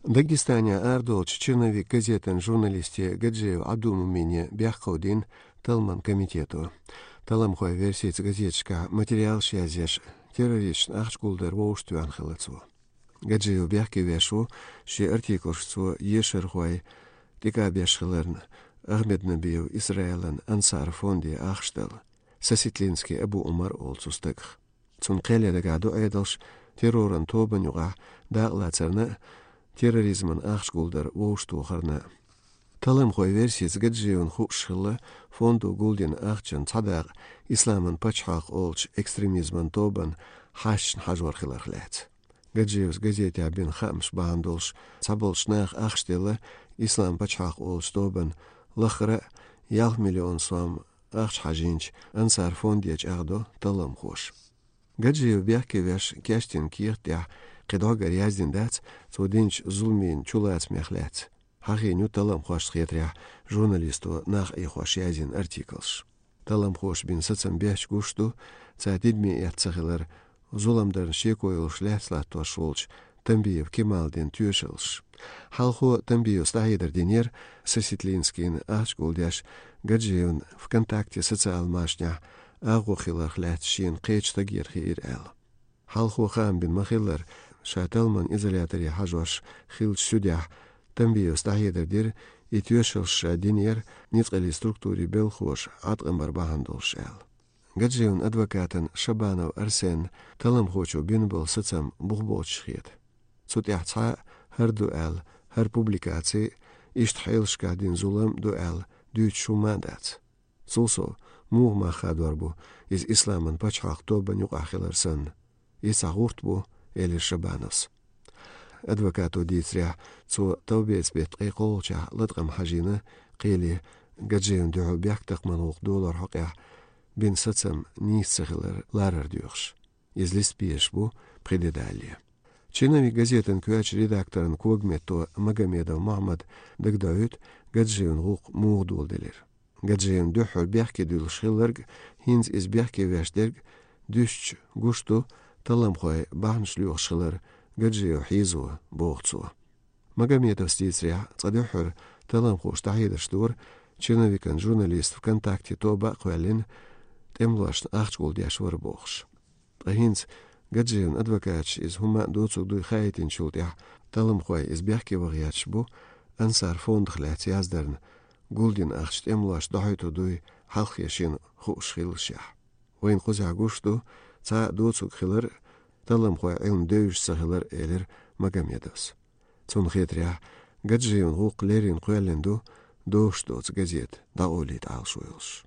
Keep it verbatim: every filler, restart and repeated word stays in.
Дагестане арадолчу «Черновик» газетан журналисте Гаджиев Ӏабдул-Мумине бехк ховдийна талламан комитето. Талламхойн версица газеташкахь материалаш язъеш, террористашна ахча гулдар вовшахтоьхна хилла цо. Гаджиев бехке веш ву, шен артиклашка цо ешархой тӀекӀа беш хиларна, Ахмед-Набиев Исраилан Ансар фонде ахча дала, Сосетлинский Абу-Умар олу цу стагах. Цунна кхел ян дагахь ду Ӏедалш терроран тобанна юкъахь дакъалацарна а, терроризмана ахча гулдар вовшахтохарна а. Талламхойн версица Гаджиевна хууш хилла фондо гулдина ахчан цхьа дакъа Исламан пачхьалкх олучу экстремизман тобанна хьашташна хьажор хиларх лаьцна. Гаджиевс газетехь бина хаамаш бахьана долуш цхьаболчу наха ахча делла Ислам пачхьалкх олучу тобанна лаххара а ялх миллион сом ахча хьажийначу Ансар фонде чӀагӀдо талламхоша. Гаджиев бехке веш кечдина кехат тӀехь кхин дӀогара яздина дац цо динчу зуламийн чулацамех лаьцна. Хьахийна ю талламхошна хетарехь журналисто нах Ӏехош язйина артиклаш. Талламхоша бина сацам бехча гуш ду, цара тидаме эцна ца хилар, зулам дарна шеко йолуш лаьцна латтош волчу Тамбиев Кемалан дина тоьшаллаш. Хьалхо Тамбиевс дӀахьедар динера Сосетлинскийна ахча гулдеш, Гаджиевна ВКонтакте социал машанехь агӀо хиларх лаьцна шена кхечу стагера хиира аьлла. Хьалхо хаам бина ма-хиллара, ша талламан изоляторе хьажош хиллачу суьдехь Тамбиевс дӀахьедар дира, и тоьшаллаш ша динера ницкъаллин структурийн белхахоша Ӏаткъам бар бахьана долуш аьлла. Гаджиевн адвокатан Шабанов Арсенна талламхочо бина болу сацам бух боцуш хета. Цу тӀехь цхьа а хӀара ду аьлла, хӀара публикаци, иштта хьелашкахь дина зулам ду аьлла дуьйцуш хӀумма а дац. Цул сов, муха мах хадор бу иза Исламан пачхьалкх тобанна юкъахь хилар санна? Иза цхьа гӀурт бу, элира Шабановс. Адвокато дийцарехь, цо товбеца беттан ткъе кхоалгӀачохь латкъам хьажийна, кхеле Гаджиевна дуьхьал бехктакхаман гӀуллакх долоран хьокъехь бина сацам нийса ца хилар ларар доьхуш. Иза листа безаш бу пхи де далале. «Черновик» газетан коьртачу редакторан когаметто Магомедов Мохьмада дагадоуьйту Гаджиевн гӀуллакх муха доладелира. Гаджиевна дуьххьара бехке дуьллуш хилларг, хӀинца иза бехке веш дерг дуьстича гуш ду, талламхой бахьанаш лоьхуш хилар Гаджиев хьийзо, боху цо. Магомедовс дийцарехь, цкъа дуьххьара талламхоша дӀахьедарш дора, «Черновикан» журналист ВКонтакте тоба а кхоьллина, тӀемалошна ахча гулдеш вара бохуш. Ткъа хӀинца Гаджиевн адвокаташа иза хӀумма а доцург дуй хаийтинчул тӀаьхьа, талламхой иза бехке ваха гӀерташ бу Ансар фондах лаьцна яздарна, гулдина ахча тӀемалошна дӀахьуьйтур дуй хьалххе шена хууш хиллашехь. Вайна кхузахь гуш ду, цхьа а доцург хилар, талламхойн Ӏилма девзаш ца хилар, элира Магомедовс. Цунна хетарехь, Гаджиевн гӀуллакх леррина кхоьллина ду, дозуш доцу газета дӀакъовлийта Ӏалашо йолуш.